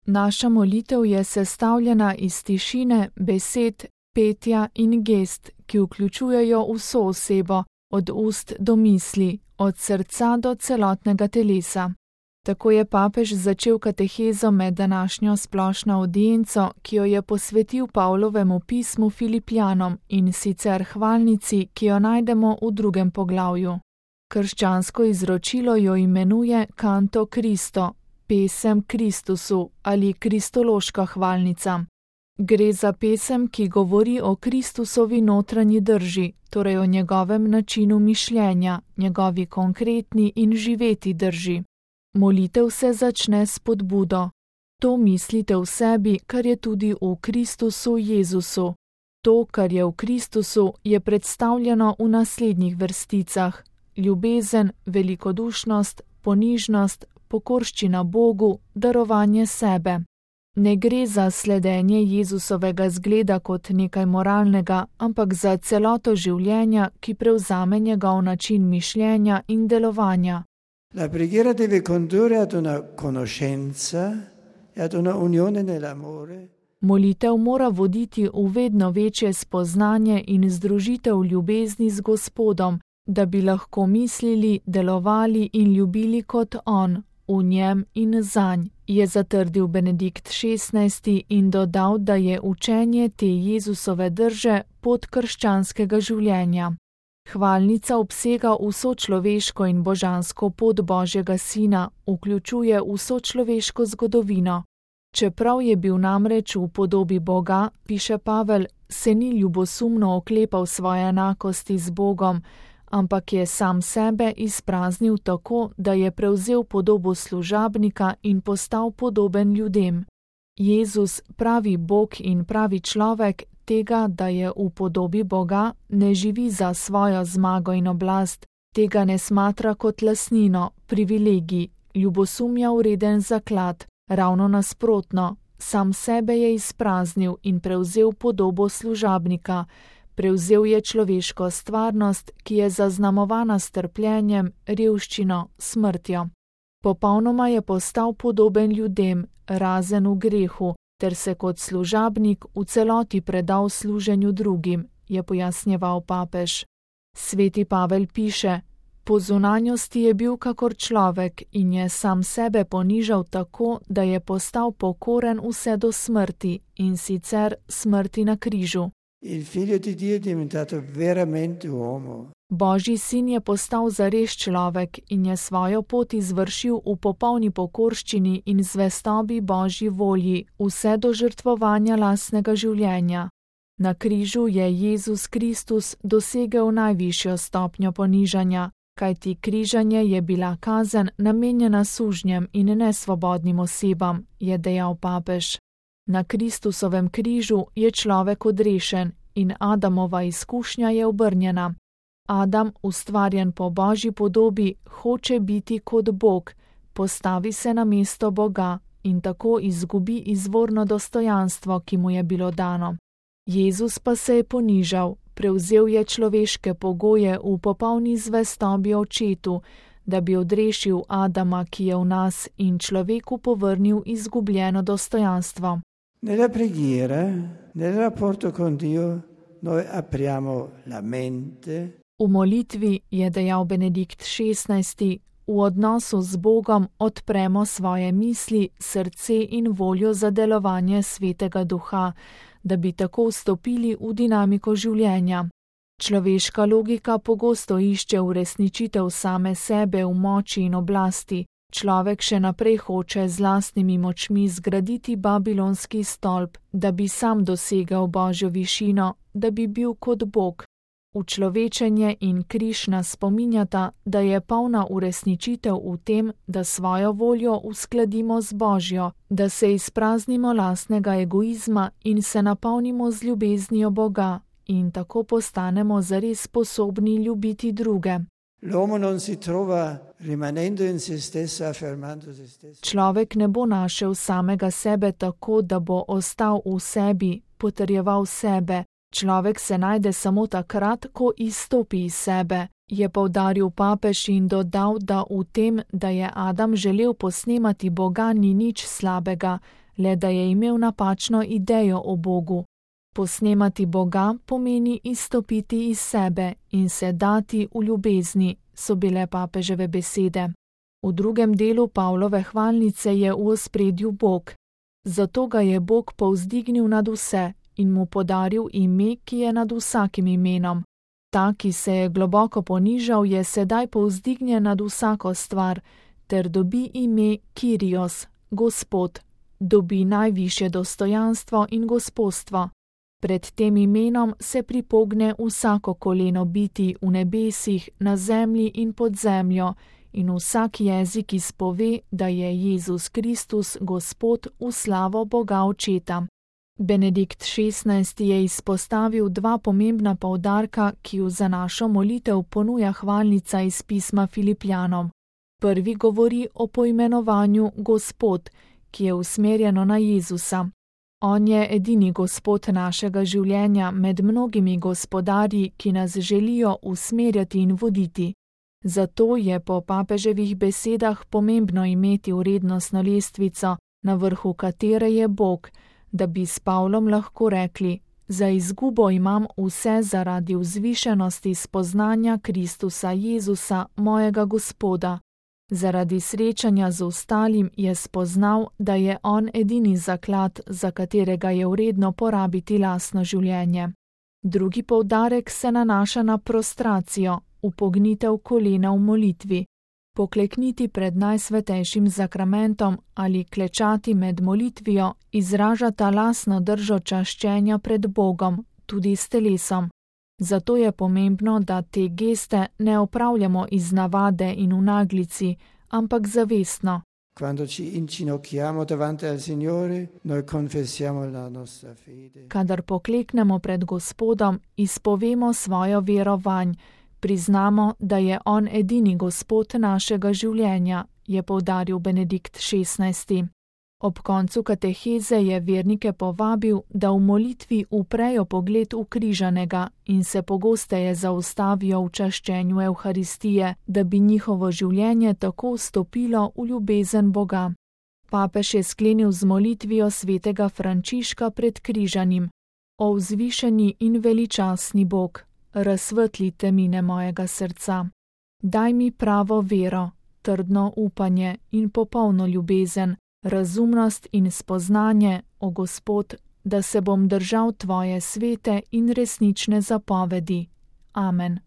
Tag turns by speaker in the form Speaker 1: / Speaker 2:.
Speaker 1: Naša molitev je sestavljena iz tišine, besed, petja in gest, ki vključujejo vso osebo, od ust do misli, od srca do celotnega telesa. Tako je papež začel katehezo med današnjo splošno avdienco, ki jo je posvetil Pavlovemu pismu Filipljanom, in sicer hvalnici, ki jo najdemo v 2. poglavju. Krščansko izročilo jo imenuje Canto Christo, pesem Kristusu ali kristološka hvalnica. Gre za pesem, ki govori o Kristusovi notranji drži, torej o njegovem načinu mišljenja, njegovi konkretni in živeti drži. Molitev se začne s spodbudo. To mislite v sebi, kar je tudi v Kristusu Jezusu. To, kar je v Kristusu, je predstavljeno v naslednjih vrsticah: ljubezen, velikodušnost, ponižnost, pokorščina Bogu, darovanje sebe. Ne gre za sledenje Jezusovega zgleda kot nekaj moralnega, ampak za celoto življenja, ki prevzame njegov način mišljenja in delovanja.
Speaker 2: La preghiera deve condurre ad una conoscenza e ad una unione nell'amore.
Speaker 1: Molitev mora voditi v vedno večje spoznanje in združitev ljubezni z Gospodom, da bi lahko mislili, delovali in ljubili kot on, v njem in zanj, je zatrdil Benedikt XVI in dodal, da je učenje te Jezusove drže pot krščanskega življenja. Hvalnica obsega vso človeško in božansko pot Božjega Sina, vključuje vso človeško zgodovino. Čeprav je bil namreč v podobi Boga, piše Pavel, se ni ljubosumno oklepal svoje enakosti z Bogom, ampak je sam sebe izpraznil tako, da je prevzel podobo služabnika in postal podoben ljudem. Jezus, pravi Bog in pravi človek, tega, da je v podobi Boga, ne živi za svojo zmago in oblast, tega ne smatra kot lastnino, privilegij, ljubosumja vreden zaklad, ravno nasprotno, sam sebe je izpraznil in prevzel podobo služabnika, prevzel je človeško stvarnost, ki je zaznamovana s trpljenjem, revščino, smrtjo. Popolnoma je postal podoben ljudem, razen v grehu, ter se kot služabnik v celoti predal služenju drugim, je pojasnjeval papež. Sveti Pavel piše: po zunanjosti je bil kakor človek in je sam sebe ponižal tako, da je postal pokoren vse do smrti, in sicer smrti na križu.
Speaker 2: Il figlio di Dio è diventato veramente uomo.
Speaker 1: Božji sin je postal zares človek in je svojo pot izvršil v popolni pokorščini in zvestobi Božji volji, vse do žrtvovanja lastnega življenja. Na križu je Jezus Kristus dosegel najvišjo stopnjo ponižanja, kajti križanje je bila kazen namenjena sužnjem in nesvobodnim osebam, je dejal papež. Na Kristusovem križu je človek odrešen in Adamova izkušnja je obrnjena. Adam, ustvarjen po Božji podobi, hoče biti kot Bog, postavi se na mesto Boga in tako izgubi izvorno dostojanstvo, ki mu je bilo dano. Jezus pa se je ponižal, prevzel je človeške pogoje v popolni zvestobi Očetu, da bi odrešil Adama, ki je v nas, in človeku povrnil izgubljeno dostojanstvo.
Speaker 2: Nella preghiera, nel rapporto con Dio, noi apriamo la mente.
Speaker 1: V molitvi, je dejal Benedikt XVI, v odnosu z Bogom odpremo svoje misli, srce in voljo za delovanje Svetega Duha, da bi tako vstopili v dinamiko življenja. Človeška logika pogosto išče uresničitev same sebe v moči in oblasti. Človek še naprej hoče z lastnimi močmi zgraditi babilonski stolp, da bi sam dosegal Božjo višino, da bi bil kot Bog. Učlovečenje in križ nas spominjata, da je polna uresničitev v tem, da svojo voljo uskladimo z Božjo, da se izpraznimo lastnega egoizma in se napolnimo z ljubeznijo Boga in tako postanemo zares sposobni ljubiti druge.
Speaker 2: L'uomo non si trova rimanendo in se stesso, affermando se stesso.
Speaker 1: Človek ne bo našel samega sebe tako, da bo ostal v sebi, potrjeval sebe. Človek se najde samo takrat, ko izstopi iz sebe, je poudaril papež in dodal, da v tem, da je Adam želel posnemati Boga, ni nič slabega, le da je imel napačno idejo o Bogu. Posnemati Boga pomeni izstopiti iz sebe in se dati v ljubezni, so bile papeževe besede. V drugem delu Pavlove hvalnice je v ospredju Bog. Zato ga je Bog povzdignil nad vse in mu podaril ime, ki je nad vsakim imenom. Ta, ki se je globoko ponižal, je sedaj povzdignjen nad vsako stvar, ter dobi ime Kyrios, Gospod, dobi najvišje dostojanstvo in gospodstvo. Pred tem imenom se pripogne vsako koleno biti v nebesih, na zemlji in pod zemljo, in vsak jezik izpove, da je Jezus Kristus Gospod v slavo Boga Očeta. Benedikt XVI je izpostavil dva pomembna poudarka, ki ju za našo molitev ponuja hvalnica iz pisma Filipljanom. Prvi govori o poimenovanju Gospod, ki je usmerjeno na Jezusa. On je edini Gospod našega življenja med mnogimi gospodarji, ki nas želijo usmerjati in voditi. Zato je po papeževih besedah pomembno imeti vrednostno lestvico, na vrhu katere je Bog, da bi s Pavlom lahko rekli: za izgubo imam vse zaradi vzvišenosti spoznanja Kristusa Jezusa, mojega Gospoda. Zaradi srečanja z ostalim je spoznal, da je on edini zaklad, za katerega je vredno porabiti lastno življenje. Drugi poudarek se nanaša na prostracijo, upognitev kolena v molitvi. Poklekniti pred najsvetejšim zakramentom ali klečati med molitvijo izražata lastno držo čaščenja pred Bogom, tudi s telesom. Zato je pomembno, da te geste ne opravljamo iz navade in v naglici, ampak zavestno. Kadar pokleknemo pred Gospodom, izpovemo svojo vero vanj, priznamo, da je on edini Gospod našega življenja, je poudaril Benedikt XVI. Ob koncu kateheze je vernike povabil, da v molitvi uprejo pogled v križanega in se pogosteje zaustavijo v čaščenju Evharistije, da bi njihovo življenje tako vstopilo v ljubezen Boga. Papež je sklenil z molitvijo svetega Frančiška pred križanim: O vzvišeni in veličastni Bog, razsvetli temine mojega srca. Daj mi pravo vero, trdno upanje in popolno ljubezen, razumnost in spoznanje, o Gospod, da se bom držal tvoje svete in resnične zapovedi. Amen.